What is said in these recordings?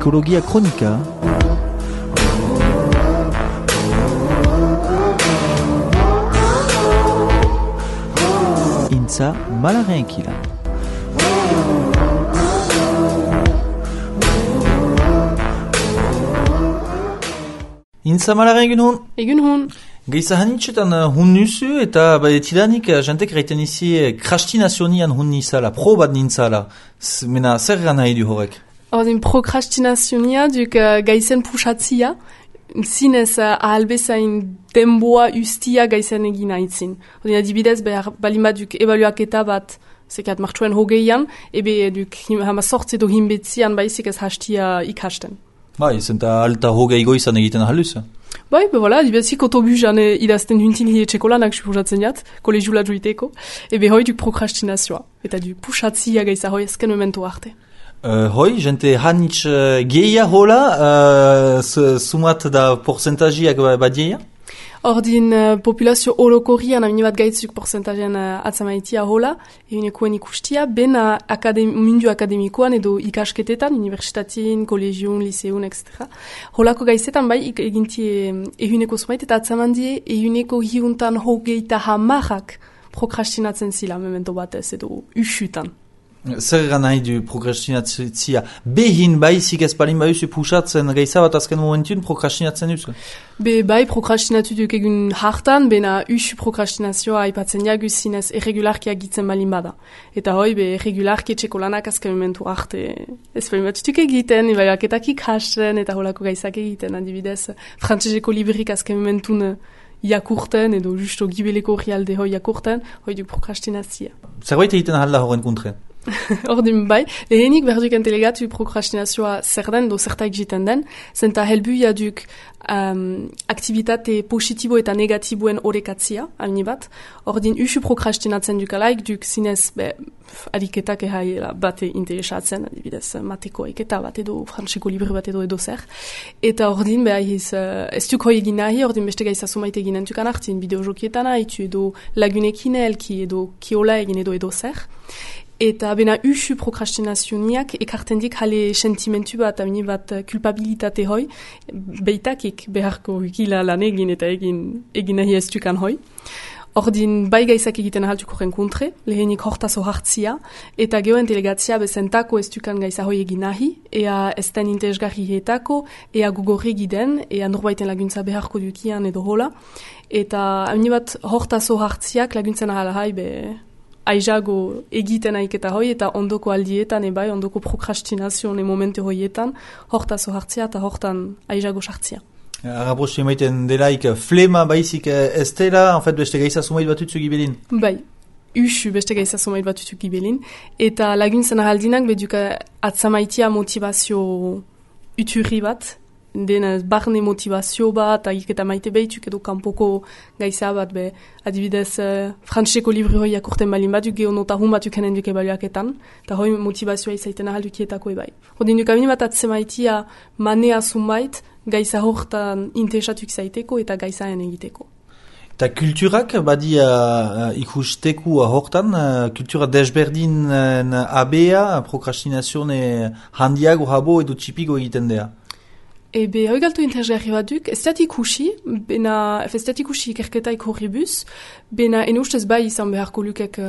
Psikologia Kronika. Intza Malaren Kilan. Intza Malaren egun hon? Egun hon. Geiza hanitxetan hun nuzu eta tidanik jantek reiten izi krastinazionian hun nizala, probat nintzala. Mena zer gana nahi du horrek? Ordin prokrastinazionia duk gaizen pusatzia, zinez ahalbezain denboa ustia gaizen egin haitzin. Ordin adibidez behar balima duk ebaluaketa bat zekat martxuen hogeian, ebe duk hama sortze do hinbetzian baizik ez hastia ikasten. Bai, zenta alta hogei goizan egiten ahaluz. Bai, voilà, dibezik autobusan idazten huntin hietxekolanak suposatzen jat, kolegiula joiteko, ebe hoi duk prokrastinazioa, eta duk pusatzia gaiza hoi ezken momentu arte. Hoi, jente hanitz geia hola, sumat da porcentajiak badieia? Ordin populazio orokorrian amini bat gaitzuk porcentajean atzamaitia hola, egunekoen ikustia, ben mundu akademikoan edo ikasketetan, universitatien, kolegion, liseun, etc. Holako gaizetan bai eginti ehuneko zumait eta atzamandie ehuneko hiuntan hogeita hamarrak prokrastinatzen zila memento batez edo usutan. Zer nahi du prokrastinatzia? Behin baizik ez balin baiuzu pusatzen gaiza bat azken momentun prokrastinatzen duzu? Bai prokrastinatu duk egun hartan, bena usu prokrastinazioa aipatzen jagu zinez erregularki agitzen balin bada. Eta hoi, erregularki etxeko lanak azken momentu arte ez balin batutuk egiten, ebaiaketak ikasten eta holako gaizak egiten, adibidez, frantzeseko librik azken momentun jakurten edo justo gibeleko rialde hoi jakurten, hoi duk prokrastinazia. Zerbait egiten ahalda horren kontre? Ordin bai, lehenik berduk entelegatu prokrastinazioa zer den, do zertaik jiten den, zenta helbuia duk aktivitate positibo eta negatiboen orekatzia, amini bat. Ordin usu prokrastinatzen dukalaik, duk zinez adiketak bate interesatzen, adibidez mateko eketa bat edo, frantzeko libri bat edo zer. Eta ordin ez duk hoi egin nahi, ordin beste gaiza sumait egin entukan hartin, bideojokietan haitu edo lagunekin elki edo kiola egin edo zer. Eta bena usu prokrastinazioniak ekartendik jale sentimentu bat, amini bat kulpabilitate hoi, beitakik beharko gila lan egin eta egin nahi ez dukan hoi. Ordin bai gaizak egiten ahaltuko renkontre, lehenik hortazo hartzia, eta geoen delegatzia bezentako ez dukan gaiza hoi egin nahi, ea ez den interesgarri hietako, ea gugorri giden, ea norbaiten laguntza beharko dukian edo hola, eta amini bat hortazo hartziak laguntzen ahalahai aizago egiten aiketa hoi eta ondoko aldietan ebai, ondoko prokrastinazione momente hoietan, hortazo hartzia eta hortan aizago sartzia. Arabostu emaiten delaik flema baizik ez dela, en fait, beste gaiza sumait batutzuk gibelin? Bai, usu beste gaiza sumait batutzuk gibelin, eta laguntzen ahaldinak beduka atzamaitia motivazio uturri bat, den barne motivazio bat, agiketa maite behituk edo kanpoko gaiza bat, adibidez frantzeko libri hoi akurten balin bat, geonotahun batuk henen duk ebaluaketan, eta hoi motivazioa izaiten ahal dukietako ebai. Hodin duk amini bat atzemaitia manea zunbait, gaiza hortan interesatuk zaiteko eta gaizaen egiteko. Eta kulturak badia ikusteku hortan, kultura desberdin abea, prokrastinazione handiago habo edo txipigo egiten dea? Ebe, hoi galtu interesgarri bat duk, ez dat ikusi ikerketaik horribus, bena ustez bai izan beharko lukek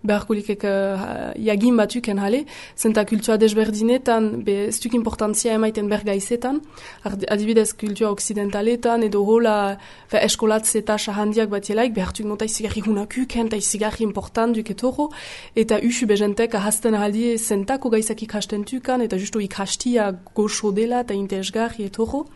jagin batuken jale, zenta kultura desberdinetan, ez duk importantzia emaiten bergaizetan, adibidez kultura oksidentaletan, edo hola eskolatze eta handiak bat jelaik, behartuk nota izigarri hunakuken, eta izigarri important duk etoro, eta usu bezentek ahazten ahaldi zentako gaizak ikasten tukan, eta justu ikastia goxo dela eta interesgarri etoro,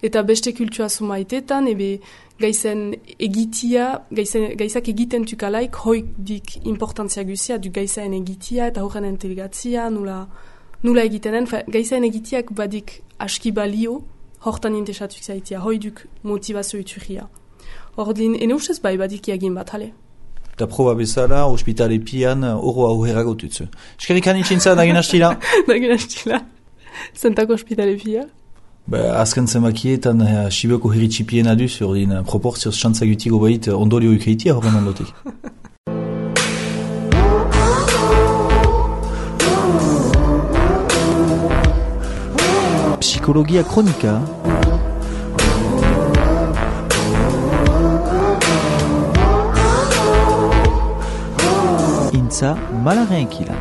eta beste kultura sumaitetan, ebe gaizen egitia, gaizak egiten tukalaik, hoi dik importantzia guzia, du gaizaen egitia eta horren entelegatzia, nula egitenen, gaizaen egitiak badik aski balio, hortan interesatuk zaitia, hoi duk motivazio uturria. Ordin, ustez bai badik egin bat, hale. Eta proba bezala, ospitale pian, oro auherrago tutzu. Eskerrik hanitxintza, dagin hastila? Dagin hastila. Zentako ospitale pia? Azken zenbakietan Sibeko herritxipien aduz, ordin proportzioz xantzak utigo bait ondorio ukeitia horren ondotik. Psikologia kronika. Intza Malaren Kila.